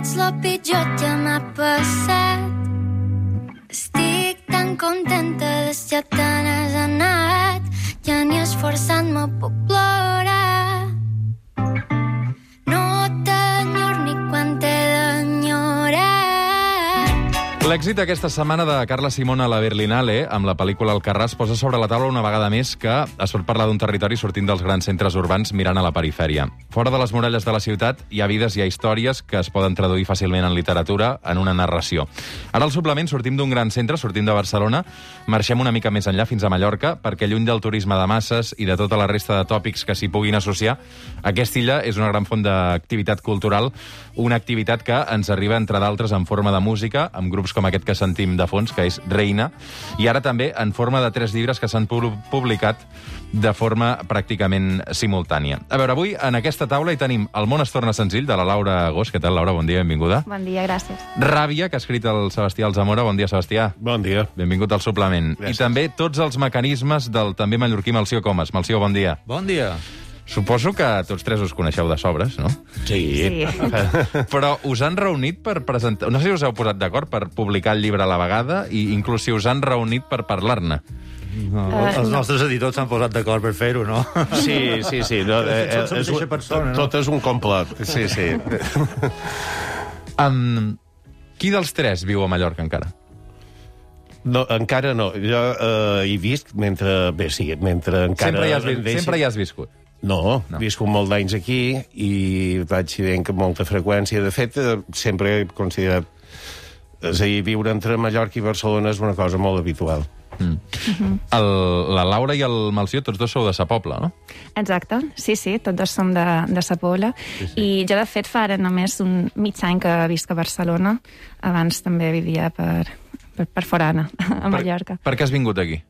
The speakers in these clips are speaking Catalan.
ets lo pitjor que m'ha passat. Estic tan contenta des ja te n'has anat, ja ni esforçant-me puc plorar. No t'enyor ni quan t'he d'enyorar. L'èxit aquesta setmana de Carla Simón a la Berlinale, amb la pel·lícula Alcarràs, posa sobre la taula una vegada més que es pot parlar d'un territori sortint dels grans centres urbans mirant a la perifèria. Fora de les muralles de la ciutat hi ha vides, hi ha històries que es poden traduir fàcilment en literatura, en una narració. Ara al suplement sortim d'un gran centre, sortim de Barcelona, marxem una mica més enllà fins a Mallorca, perquè lluny del turisme de masses i de tota la resta de tòpics que s'hi puguin associar, aquesta illa és una gran font d'activitat cultural, una activitat que ens arriba, entre d'altres, en forma de música, amb grups com aquest que sentim de fons, que és Reina, i ara també en forma de 3 llibres que s'han publicat de forma pràcticament simultània. A veure, avui en aquesta taula hi tenim El món es torna senzill, de la Laura Gós. Què tal, Laura? Bon dia, benvinguda. Bon dia, gràcies. Ràbia, que ha escrit el Sebastià Alzamora. Bon dia, Sebastià. Bon dia. Benvingut al suplement. Gràcies. I també tots els mecanismes del també mallorquí Melcior Comas. Melcior, bon dia. Bon dia. Suposo que tots tres us coneixeu de sobres, no? Sí. Però us han reunit per presentar... No sé si us heu posat d'acord per publicar el llibre a la vegada i inclús si us han reunit per parlar-ne. No, els nostres editors s'han posat d'acord per fer-ho, no? Sí. No, Tots som mateixa persona, no? Tot és un complot. Sí. Qui dels tres viu a Mallorca encara? No, encara no. Jo he vist mentre... Bé, sí, mentre encara... Sempre hi has viscut. No, visco molt d'anys aquí i vaig veient que molta freqüència. De fet, sempre he considerat... És a dir, viure entre Mallorca i Barcelona és una cosa molt habitual. La Laura i el Melcior, tots dos sou de Sa Pobla, no? Exacte, sí, tots dos som de Sa Pobla. Sí. I jo, de fet, fa ara només un mig any que visc a Barcelona. Abans també vivia per forana, a Mallorca. Per què has vingut aquí?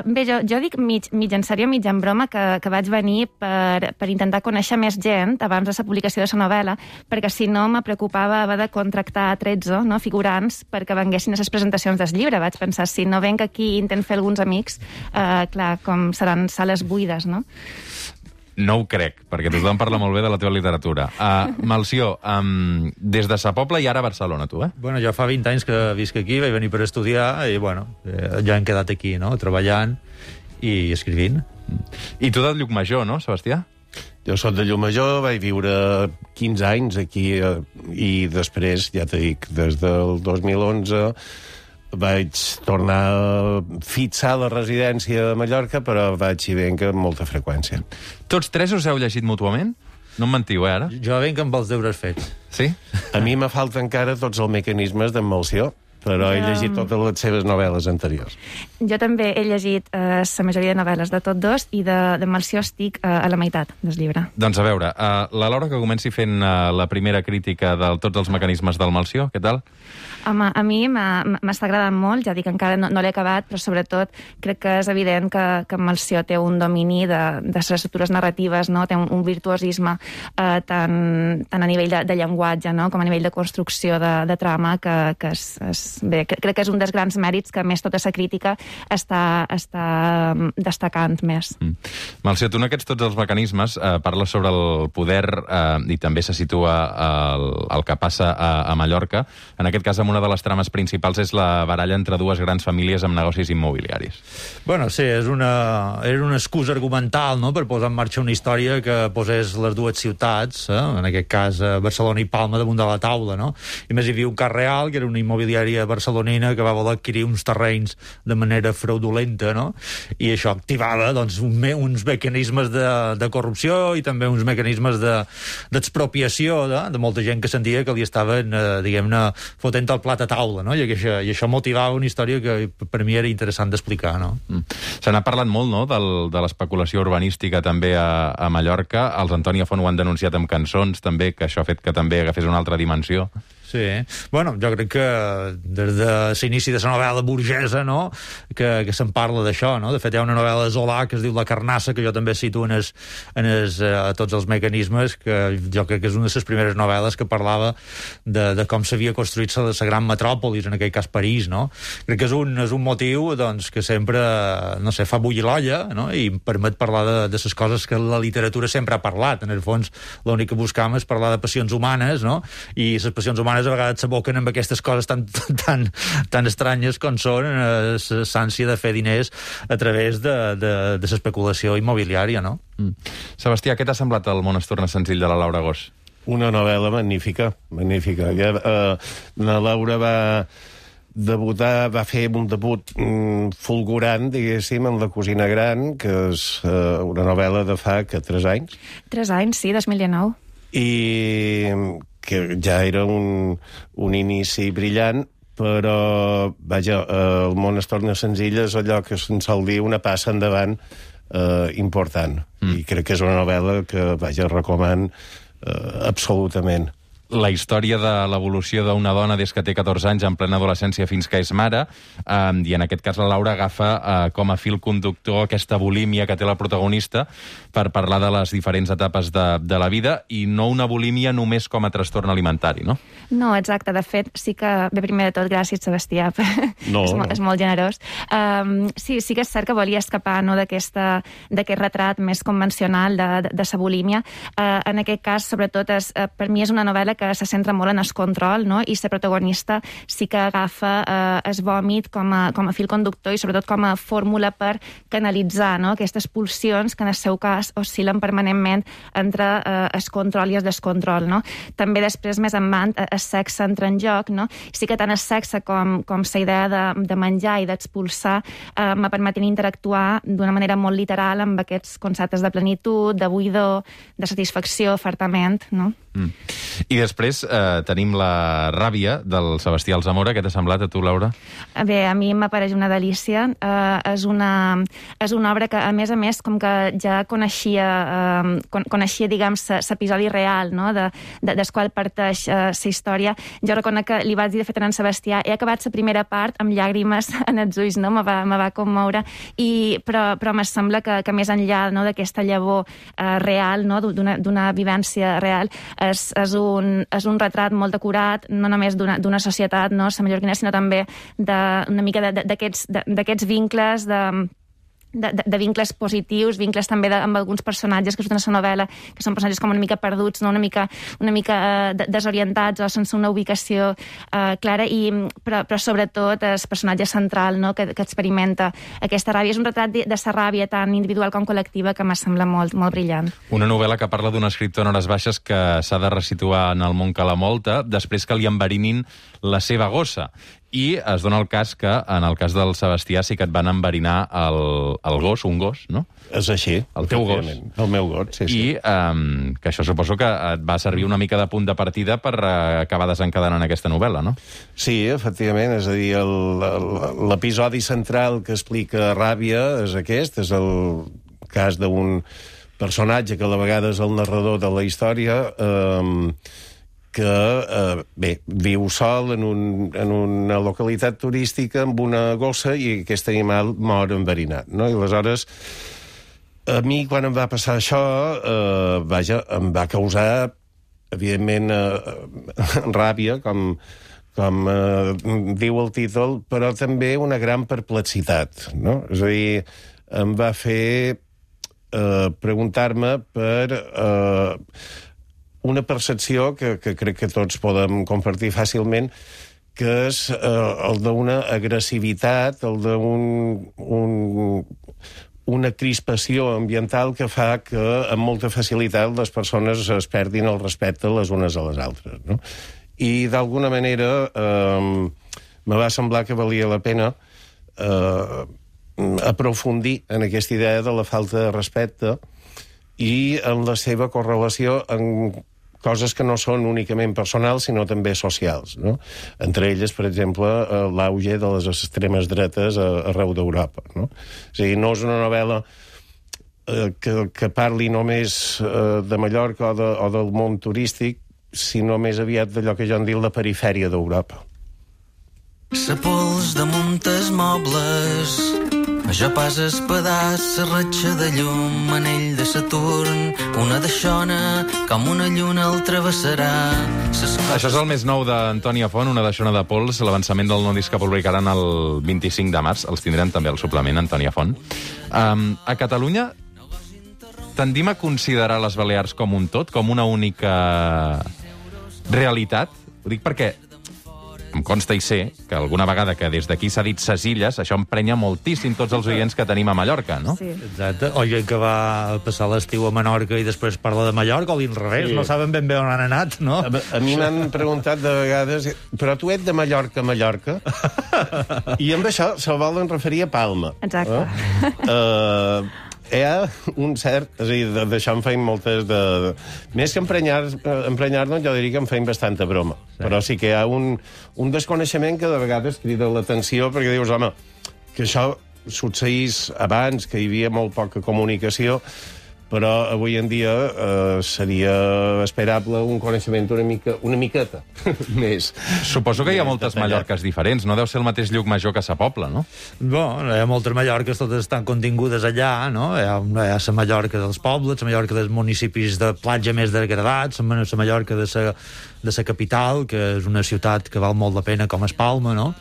Bé, jo dic mig en sèrio, mig en broma, que vaig venir per intentar conèixer més gent abans de la publicació de la novel·la, perquè si no me preocupava haver de contractar 13 figurants perquè venguessin a les presentacions del llibre. Vaig pensar, si no venc aquí i intent fer alguns amics, clar, com seran sales buides, no? No ho crec, perquè tothom parla molt bé de la teva literatura. Melcior, des de Sa Pobla i ara a Barcelona, tu, eh? Bueno, jo fa 20 anys que visc aquí, vaig venir per estudiar i, bueno, ja hem quedat aquí, no?, treballant i escrivint. I tu de Llucmajor, no, Sebastià? Jo soc de Llucmajor, vaig viure 15 anys aquí i després, ja t'he dit, des del 2011... vaig tornar a fixar la residència de Mallorca, però vaig hi venc amb molta freqüència. Tots tres us heu llegit mútuament? No em mentiu, ara? Jo venc amb els deures fets. Sí? A mi me falta encara tots els mecanismes d'en Melcior, però he llegit totes les seves novel·les anteriors. Jo també he llegit la majoria de novel·les de tots dos i de Melcior estic a la meitat del llibre. Doncs a veure, la Laura, que comenci fent la primera crítica de tots els mecanismes del Melcior, què tal? Home, a mi m'està agradant molt, ja dic, encara no l'he acabat, però sobretot crec que és evident que Melcior té un domini de les estructures narratives, no? Té un virtuosisme tant a nivell de llenguatge, no?, com a nivell de construcció de trama, que bé, crec que és un dels grans mèrits que, més, tota la crítica està destacant més. Melcior, tu en aquests tots els mecanismes parles sobre el poder i també se situa el que passa a Mallorca. En aquest cas, una de les trames principals és la baralla entre dues grans famílies amb negocis immobiliaris. Bueno, sí, era una excusa argumental, no?, per posar en marxa una història que posés les dues ciutats, en aquest cas Barcelona i Palma, damunt de la taula, no? I més hi havia un cas real, que era una immobiliària barcelonina que va voler adquirir uns terrenys de manera fraudulenta, no? I això activava, doncs, uns mecanismes de corrupció i també uns mecanismes d'expropiació de molta gent que sentia que li estaven, diguem-ne, fotent el plat a taula, no? I això motivava una història que per mi era interessant d'explicar, no? Se n'ha parlat molt, no?, de l'especulació urbanística també a Mallorca. Els Antònia Font ho han denunciat amb cançons, també, que això ha fet que també agafés una altra dimensió. Sí. Bueno, jo crec que des de l'inici de la novel·la burgesa, no?, que se'n parla d'això, no? De fet, hi ha una novel·la de Zola que es diu La carnassa, que jo també cito a tots els mecanismes, que jo crec que és una de les primeres novel·les que parlava de com s'havia construït la gran metròpolis, en aquell cas París, no? Crec que és un motiu, doncs, que sempre, no sé, fa bullir l'olla, no?, i permet parlar de les coses que la literatura sempre ha parlat. En el fons, l'únic que buscam és parlar de passions humanes, no?, i les passions humanes a vegades s'aboquen amb aquestes coses tan estranyes com són l'ànsia de fer diners a través de l'especulació immobiliària, no? Sebastià, què t'ha semblat El món es torna senzill, de la Laura Gos? Una novel·la magnífica. La Laura va fer un debut fulgurant, diguéssim, en La cosina gran, que és una novel·la de fa 3 anys. 3 anys, sí, 2019. I que ja era un inici brillant, però, vaja, El món es torna senzill és allò que se'n sol dir una passa endavant important. I crec que és una novel·la que, vaja, recoman absolutament. La història de l'evolució d'una dona des que té 14 anys en plena adolescència fins que és mare, i en aquest cas la Laura agafa com a fil conductor aquesta bulímia que té la protagonista per parlar de les diferents etapes de la vida, i no una bulímia només com a trastorn alimentari, no? No, exacte. De fet, sí que... Bé, primer de tot, gràcies, Sebastià. És molt generós. Sí que és cert que volia escapar, no, d'aquest retrat més convencional de sa bulímia. En aquest cas, sobretot, per mi és una novel·la que se centra molt en el control, no?, i la protagonista sí que agafa el vòmit com a fil conductor i sobretot com a fórmula per canalitzar, no?, aquestes pulsions que en el seu cas oscil·len permanentment entre el control i el descontrol, no? També després, més endavant, el sexe entra en joc, no? Sí que tant el sexe com la idea de menjar i d'expulsar me permeten interactuar d'una manera molt literal amb aquests conceptes de plenitud, de buidor, de satisfacció, fartament, no? I després tenim La ràbia, del Sebastià Alsamora. Què t'ha semblat a tu, Laura? Bé, a mi m'apareix una delícia. És una obra que, a més, com que ja coneixia, diguem, l'episodi real, no?, del qual parteix la història. Jo reconec que li vaig dir, de fet, a en Sebastià, he acabat la primera part amb llàgrimes en els ulls, no?, me va commoure, però me sembla que més enllà, no?, d'aquesta llavor real, no?, d'una vivència real, és un retrat molt acurat, no només d'una societat, no, la mallorquina, sinó també una mica d'aquests vincles, de vincles positius, vincles també amb alguns personatges que surten a la novel·la, que són personatges com una mica perduts, no? una mica desorientats o sense una ubicació clara, però sobretot el personatge central, no?, que experimenta aquesta ràbia. És un retrat de la ràbia tant individual com col·lectiva que m'ha semblat molt, molt brillant. Una novel·la que parla d'un escriptor en hores baixes que s'ha de resituar en el món que la molta després que li enverinin la seva gossa. I es dona el cas que, en el cas del Sebastià, sí que et van enverinar el gos, un gos, no? És així. El teu gos. El meu gos, sí. I que això suposo que et va servir una mica de punt de partida per acabar desencadenant aquesta novel·la, no? Sí, efectivament. És a dir, l'episodi central que explica Ràbia és aquest, és el cas d'un personatge que a la vegada és el narrador de la història, que viu sol en una localitat turística amb una gossa i aquest animal mor enverinat, no? I aleshores, a mi, quan em va passar això, em va causar, evidentment, ràbia, com diu el títol, però també una gran perplexitat, no? És a dir, em va fer preguntar-me per una percepció que crec que tots podem compartir fàcilment, que és el d'una agressivitat, el d'una crispació ambiental que fa que amb molta facilitat les persones es perdin el respecte les unes a les altres, no? I d'alguna manera me va semblar que valia la pena aprofundir en aquesta idea de la falta de respecte i en la seva correlació en coses que no són únicament personals, sinó també socials, no? Entre elles, per exemple, l'auge de les extremes dretes arreu d'Europa, no? És a dir, no és una novel·la que parli només de Mallorca o del món turístic, sinó més aviat d'allò que jo en dic la perifèria d'Europa. Sa pols de muntes mobles, jo pas espadàs, sa ratxa de llum, anell de Saturn, una deixona, com una lluna el travessarà. Això és el més nou d'Antònia Font, una deixona de pols, l'avançament del nou disc que publicaran el 25 de març. Els tindrem també al suplement, Antònia Font. A Catalunya tendim a considerar les Balears com un tot, com una única realitat. Ho dic perquè em consta i sé que alguna vegada que des d'aquí s'ha dit ses illes, això emprenya moltíssim tots els oients que tenim a Mallorca, no? Sí. Exacte. O gent que va passar l'estiu a Menorca i després parla de Mallorca, o l'inrevés, Sí. no saben ben bé on han anat, no? A mi m'han preguntat de vegades, però tu ets de Mallorca a Mallorca? I amb això se volen referir a Palma. Exacte. Hi ha un cert... És a dir, d'això en feim moltes de... Més que emprenyar-nos, jo diria que en feim bastanta broma. Sí. Però sí que hi ha un desconeixement que de vegades crida l'atenció, perquè dius, home, que això succeís abans, que hi havia molt poca comunicació, però avui en dia seria esperable un coneixement una miqueta més. Suposo que hi ha moltes Mallorques diferents, no deu ser el mateix Llucmajor que Sa Pobla, no? Hi ha moltes Mallorques, totes estan contingudes allà, no? Hi ha la Mallorca dels pobles, la Mallorca dels municipis de platja més degradats, la Mallorca de la capital, que és una ciutat que val molt la pena com es Palma, no?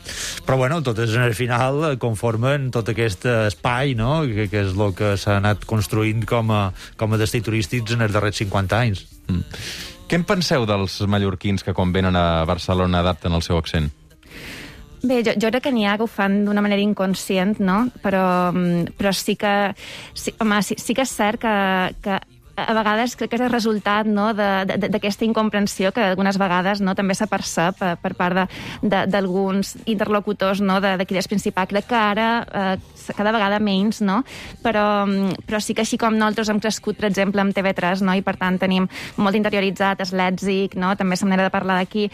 Però, bueno, totes al final conformen tot aquest espai, no?, que és el que s'ha anat construint com a destí turístics en els darrers 50 anys. Què en penseu dels mallorquins que quan venen a Barcelona adapten el seu accent? Bé, jo crec que n'hi ha que ho fan d'una manera inconscient, no? Però sí que... Sí que és cert que a vegades crec que és el resultat, no, d'aquesta incomprensió que algunes vegades, no, també s'apercep per part d'alguns interlocutors, no, d'aquí del Principat. Crec que ara cada vegada menys, no? Però sí que així com nosaltres hem crescut, per exemple, amb TV3, no? I per tant tenim molt interioritzat el lèxic, no? També la manera de parlar d'aquí.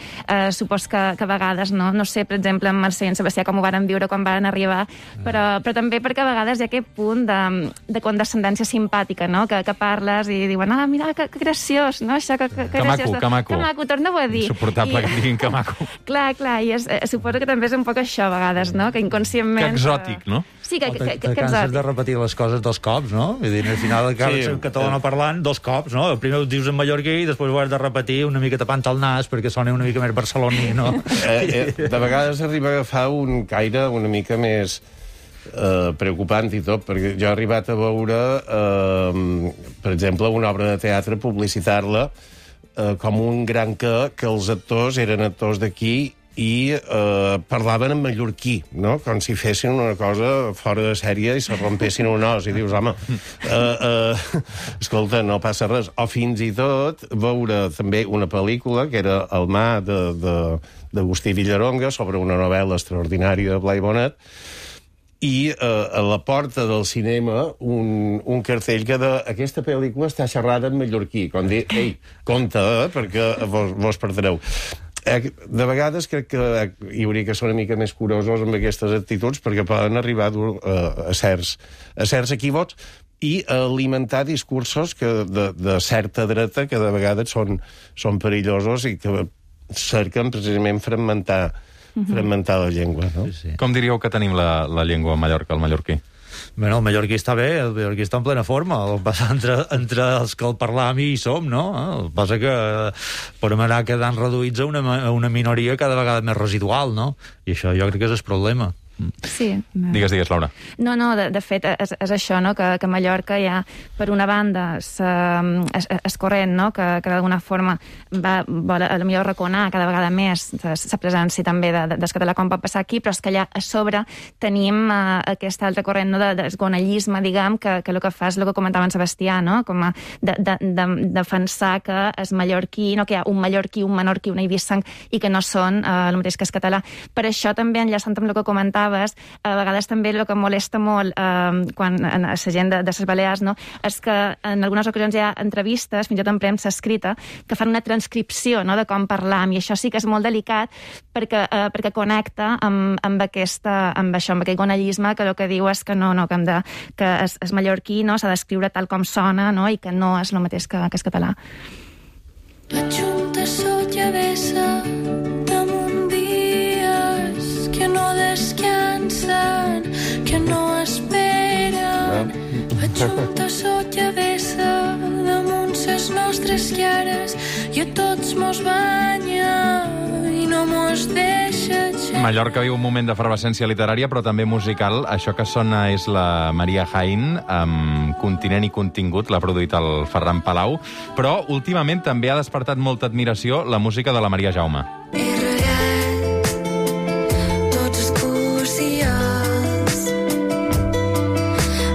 Supos que a vegades, no sé, per exemple, amb Mercè i en Sebastià com ho varen viure quan varen arribar, però també perquè a vegades hi ha aquest punt de condescendència simpàtica, no? Que parles i diuen, mira, que graciós, no? Això, que graciós. Que maco. Que maco, torna-ho a dir. Insuportable que diguin que maco. Clar, i suposo que també és un poc això, a vegades, no? Que inconscientment... Que exòtic, no? Sí, que Canses exòtic. de repetir les coses dos cops, no? Vull dir, al final acabes en català parlant dos cops, no? Primer ho dius en mallorquí i després ho has de repetir una mica tapant el nas perquè soni una mica més barceloní, no? De vegades arriba a agafar un caire una mica més preocupant i tot, perquè jo he arribat a veure, per exemple, una obra de teatre, publicitar-la com un gran que els actors eren actors d'aquí i parlaven en mallorquí, no? Com si fessin una cosa fora de sèrie i se rompessin un os. I dius, home, escolta, no passa res. O fins i tot veure també una pel·lícula, que era El mar d'Agustí Villaronga, sobre una novel·la extraordinària de Blai Bonet, i a la porta del cinema un cartell que aquesta pel·lícula està xerrada en mallorquí, com dir, ei, compte, perquè vos perdreu. De vegades crec que hi hauria que ser una mica més curosos amb aquestes actituds perquè poden arribar a certs equívocs i alimentar discursos de certa dreta que de vegades són perillosos i que cerquen precisament fragmentar la llengua, no? Sí. Com diríeu que tenim la llengua a Mallorca, el mallorquí? Bé, el mallorquí està bé, el mallorquí està en plena forma. El que passa entre els que el parlam i hi som, no? El que passa que podem anar quedant reduïts a una minoria cada vegada més residual, no? I això jo crec que és el problema. Sí. Digues, Laura. No, de fet, és això, no?, que a Mallorca hi ha, per una banda, es corrent, no?, que d'alguna forma vol a millor reconar cada vegada més la presència també del català com pot passar aquí, però és que allà a sobre tenim aquest altre corrent, no?, del gonellisme, diguem, que el que fa és el que comentava en Sebastià, no?, com a de defensar que és mallorquí, no?, que hi ha un mallorquí, un menorquí, un eivisseng, i que no són el mateix que és català. Per això també, enllaçant amb el que comentava, a vegades també el que molesta molt quan a la gent de les Balears, no, és que en algunes ocasions hi ha entrevistes, fins i tot en premsa escrita, que fan una transcripció, no, de com parlam, i això sí que és molt delicat perquè connecta amb aquest gonellisme que el que diu és que que és mallorquí, no, s'ha d'escriure tal com sona, no, i que no és el mateix que és català. Ajunta sotja vessa damunt dies que no descansen, que no esperen. Ajunta sotja vessa damunt ses nostres cares i a tots mos banya i no mos deixa aixecar. Mallorca viu un moment d'efervescència literària, però també musical. Això que sona és la Maria Jaén, amb Continent i Contingut, l'ha produït el Ferran Palau, però últimament també ha despertat molta admiració la música de la Maria Jaume. He regat tots els cursials,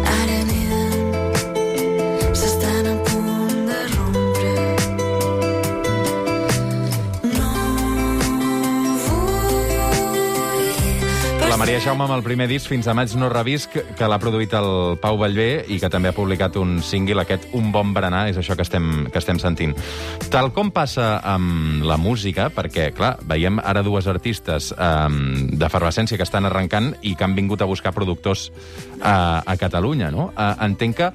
ara neden, s'estan a punt de rompre. No vull... La Maria Jaume amb el primer disc, Fins a maig no revisc, que l'ha produït el Pau Vallvé i que també ha publicat un single, aquest Un bon berenar, és això que estem sentint. Tal com passa amb la música, perquè, clar, veiem ara dues artistes d'efervescència que estan arrencant i que han vingut a buscar productors a Catalunya, no? Entenc que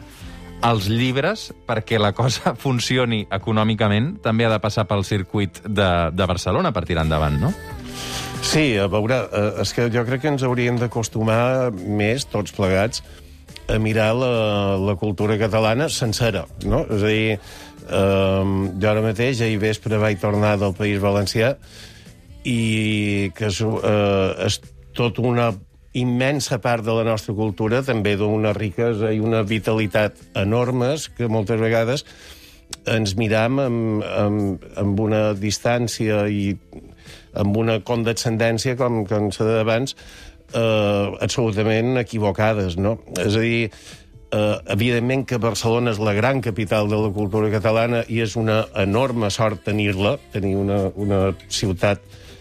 els llibres, perquè la cosa funcioni econòmicament, també ha de passar pel circuit de Barcelona per tirar endavant, no? Sí, a veure, és que jo crec que ens hauríem d'acostumar més, tots plegats, a mirar la cultura catalana sencera, no? És a dir, jo ara mateix, ahir vespre vaig tornar del País Valencià i que és tot una immensa part de la nostra cultura, també d'una riquesa i una vitalitat enormes, que moltes vegades ens miram amb una distància i amb una condescendència, com s'ha dit abans, absolutament equivocades, no? És a dir, evidentment que Barcelona és la gran capital de la cultura catalana i és una enorme sort tenir-la, tenir una ciutat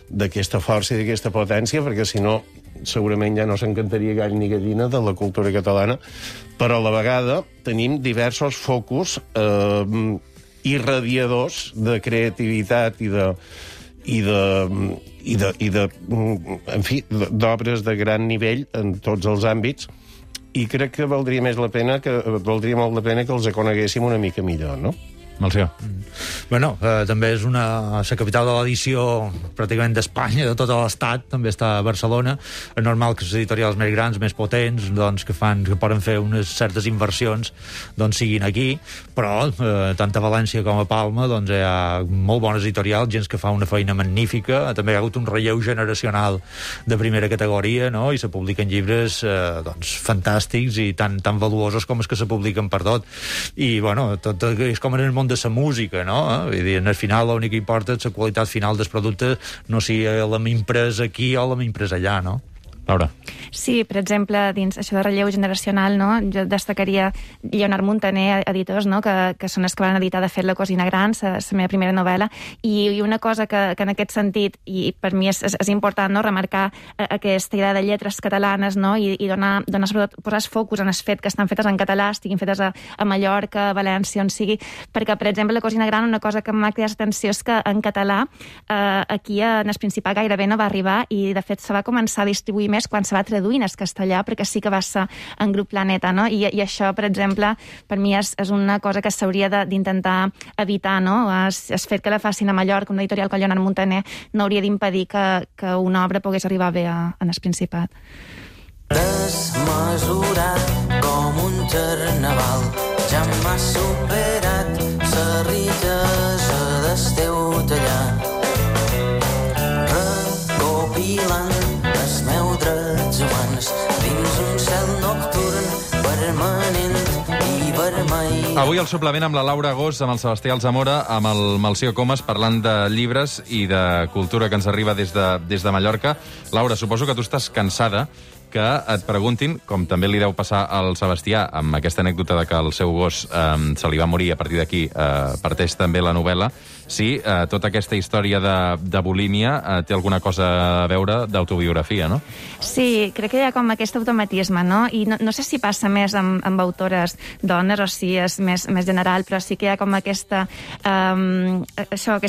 d'aquesta força i d'aquesta potència, perquè si no, segurament ja no s'encantaria gall ni gallina de la cultura catalana, però a la vegada tenim diversos focus irradiadors de creativitat en fi, d'obres de gran nivell en tots els àmbits, i crec que valdria molt la pena que els coneguéssim una mica millor, no? Melcior. Bueno, també és la capital de l'edició pràcticament d'Espanya, de tot l'Estat, també està a Barcelona. És normal que les editorials més grans, més potents, doncs, que poden fer unes certes inversions, doncs siguin aquí, però tant a València com a Palma doncs, hi ha molt bones editorials, gent que fa una feina magnífica, també hi ha hagut un relleu generacional de primera categoria, no? I se publiquen llibres doncs, fantàstics i tan valuosos com els que se publiquen per tot. I, bueno, tot és com en el món de la música, no? Vull dir, al final l'únic que importa és la qualitat final dels productes, no si l'hem imprès aquí o l'hem imprès allà, no? Laura. Sí, per exemple, dins això de relleu generacional, no? Jo destacaria Lleonard Montaner, editors, no? que són els que van editar, de fet, La cosina gran, la meva primera novel·la, i una cosa que en aquest sentit, i per mi és important, no? Remarcar aquesta idea de lletres catalanes, no? I donar sobretot, posar focus en el fet que estan fetes en català, estiguin fetes a Mallorca, a València, on sigui, perquè, per exemple, La cosina gran, una cosa que m'ha cridat l'atenció és que en català aquí en el Principat gairebé no va arribar, i de fet se va començar a distribuir més quan se va traduir en castellà, perquè sí que va ser en Grup Planeta, no? I això, per exemple, per mi és una cosa que s'hauria d'intentar evitar, no? El fet que la facin a Mallorca, una editorial com Lleonard Montaner, no hauria d'impedir que una obra pogués arribar bé en el Principat. Desmesurat com un carnaval, ja m'ha superat la riquesa del teu tallar. Recopilant els meus drets humans dins un cel nocturn permanent i vermell. Avui el suplement amb la Laura Gós, amb el Sebastià Alzamora, amb el Melcior Comas, parlant de llibres i de cultura que ens arriba des de Mallorca. Laura, suposo que tu estàs cansada que et preguntin, com també li deu passar al Sebastià, amb aquesta anècdota de que el seu gos se li va morir, a partir d'aquí parteix també la novel·la, si tota aquesta història de bulímia té alguna cosa a veure d'autobiografia, no? Sí, crec que hi ha com aquest automatisme, no? I no sé si passa més amb autores dones o si és més general, però sí que hi ha com aquest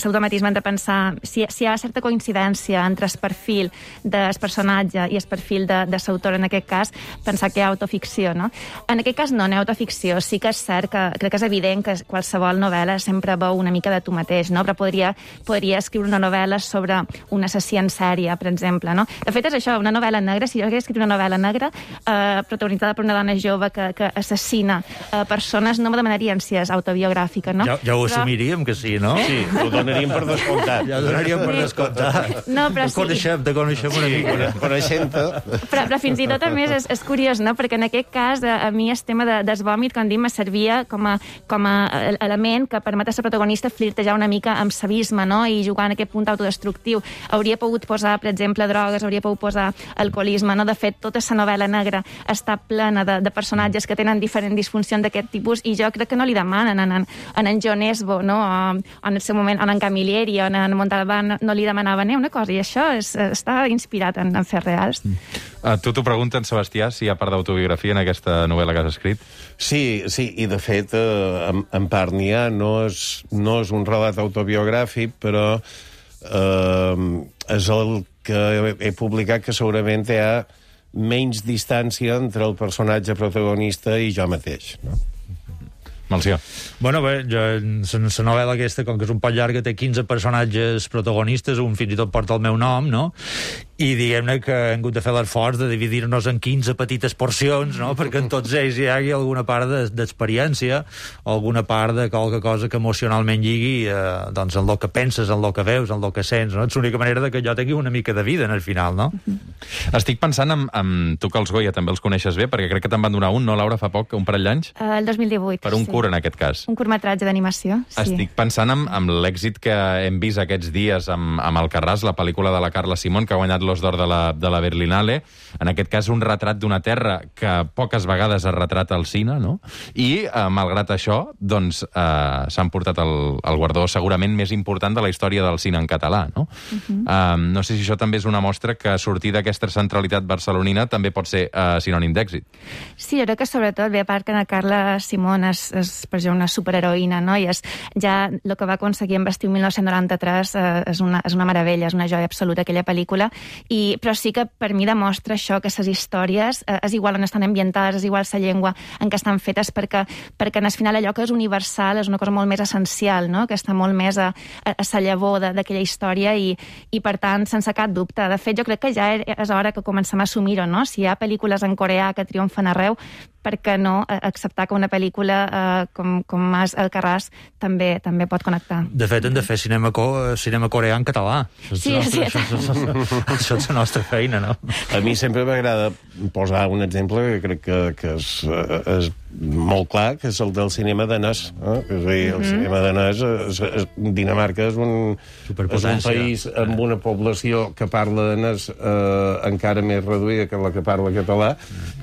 automatisme de pensar si hi ha certa coincidència entre el perfil del personatge i el perfil de l'autor, en aquest cas, pensar que hi ha autoficció, no? En aquest cas no hi ha autoficció, sí que és cert que crec que és evident que qualsevol novel·la sempre veu una mica de tu mateix, mateix, no? Però podria escriure una novel·la sobre un assassí en sèrie, per exemple, no? De fet, és això, una novel·la negra. Si jo hagués escrit una novel·la negra protagonitzada per una dona jove que assassina persones, no me demanaríem si és autobiogràfica, no? Ja ho assumiríem que sí, no? Sí, ho donaríem per descomptat. Ja ho donaríem per descomptat. No, però Te coneixem una mica. Coneixent-te. Però fins i tot, a més, és curiós, no? Perquè en aquest cas, a mi el tema del vòmit, com dic, me servia com a element que permet a la protagonista flirtejar una mica amb sabisme, no? I jugar en aquest punt autodestructiu. Hauria pogut posar, per exemple, drogues, hauria pogut posar alcoholisme, no? De fet, tota la novel·la negra està plena de personatges que tenen diferents disfuncions d'aquest tipus i jo crec que no li demanen en John Esbo, no? O en el seu moment, en Camilleri o en Montalbán no li demanaven una cosa, i això està inspirat en fets reals. Tu t'ho pregunten, Sebastià, si hi ha part d'autobiografia en aquesta novel·la que has escrit? Sí, i de fet, en part n'hi ha. No és un relat autobiogràfic, però és el que he publicat que segurament hi ha menys distància entre el personatge protagonista i jo mateix, no? Melcior. Bueno, bé, la novel·la aquesta, com que és un poc llarga, té 15 personatges protagonistes, un fins i tot porta el meu nom, no? I diguem-ne que hem hagut de fer l'esforç de dividir-nos en 15 petites porcions, no? Perquè en tots ells hi hagi alguna part d'experiència, alguna part de qualque cosa que emocionalment lligui doncs en el que penses, en el que veus, en el que sents, no? És l'única manera de que jo tingui una mica de vida en el final, no? Estic pensant en tu, que els Goya també els coneixes bé, perquè crec que te'n van donar un, no, Laura, fa poc, un parell d'anys? El 2018, Per un curt, en aquest cas. Un curtmetratge d'animació, sí. Estic pensant en l'èxit que hem vist aquests dies amb Alcarràs, la pel·lícula de la Carla Simón, que ha guanyat l'Os d'Or de la Berlinale. En aquest cas, un retrat d'una terra que poques vegades es retrata al cine, no? I, malgrat això, doncs, s'han portat el guardó segurament més important de la història del cine en català, no? No sé si això també és una mostra que sortir d'aquesta centralitat barcelonina també pot ser sinònim d'èxit. Sí, jo crec que sobretot, bé, a part que la Carla Simón és per exemple, una superheroïna, no? I ja el que va aconseguir amb Estiu 1993 és una meravella, és una joia absoluta aquella pel·lícula, però sí que per mi demostra això, que les històries és igual on estan ambientades, és igual la llengua en què estan fetes, perquè al final allò que és universal és una cosa molt més essencial, no? Que està molt més a la llavor d'aquella història i per tant, sense cap dubte. De fet, jo crec que ja és hora que comencem a assumir-ho, no? Si hi ha pel·lícules en coreà que triomfen arreu, per què no acceptar que una pel·lícula com Alcarràs també pot connectar? De fet, hem de fer cinema coreà en català. Sí. Això és la nostra feina, no? A mi sempre m'agrada posar un exemple que crec que és molt clar, que és el del cinema danès. És a dir, el cinema danès, Dinamarca és un país amb una població que parla danès encara més reduïda que la que parla català,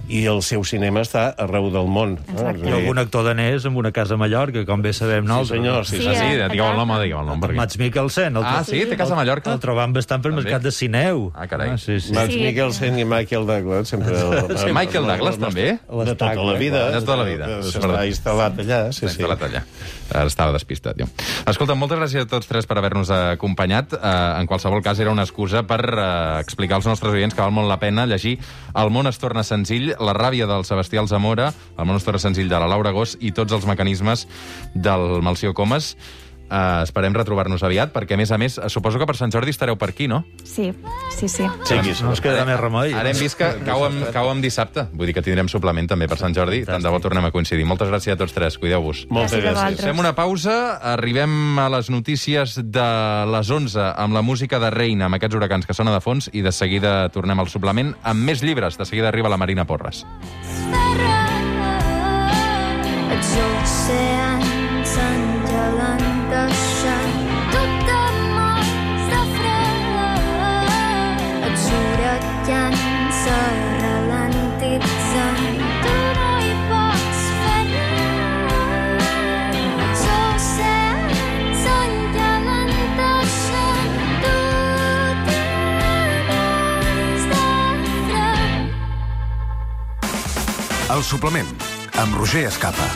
i el seu cinema està arreu del món. Hi ha algun actor danès amb una casa a Mallorca, com bé sabem nosaltres. Sí, senyor. Sí, digueu el nom. Mats Mikkelsen. Sí? Té casa a Mallorca? El trobam bastant pel mercat de Sineu. Carai. Mats Mikkelsen i Michael Douglas sempre... Michael Douglas, també? De tota la vida. De tota la vida. S'està instal·lat allà. S'ha instal·lat allà. Estava despistat, jo. Escolta, moltes gràcies a tots tres per haver-nos acompanyat. En qualsevol cas, era una excusa per explicar als nostres oients que val molt la pena llegir El món es torna senzill, La ràbia del Sebastià Alzamora, El món es torna senzill de la Laura Gós i Tots els mecanismes del Melcior Comas. Esperem retrobar-nos aviat, perquè, a més, suposo que per Sant Jordi estareu per aquí, no? Sí. No ens quedarà més remei. Ara hem vist que cau amb dissabte. Vull dir que tindrem suplement també per Sant Jordi. Tant de bo tornem a coincidir. Moltes gràcies a tots tres. Cuideu-vos. Moltes gràcies. Fem una pausa. Arribem a les notícies de les 11 amb la música de Reina, amb aquests huracans que sona de fons, i de seguida tornem al suplement amb més llibres. De seguida arriba la Marina Porres. Els oceans s'engelen deixant tothom mort de fred. Els huracans se ralentitzen, tu no hi pots fer res. Els oceans s'engelen deixant tothom mort de fred. El suplement, amb Roger Escapa.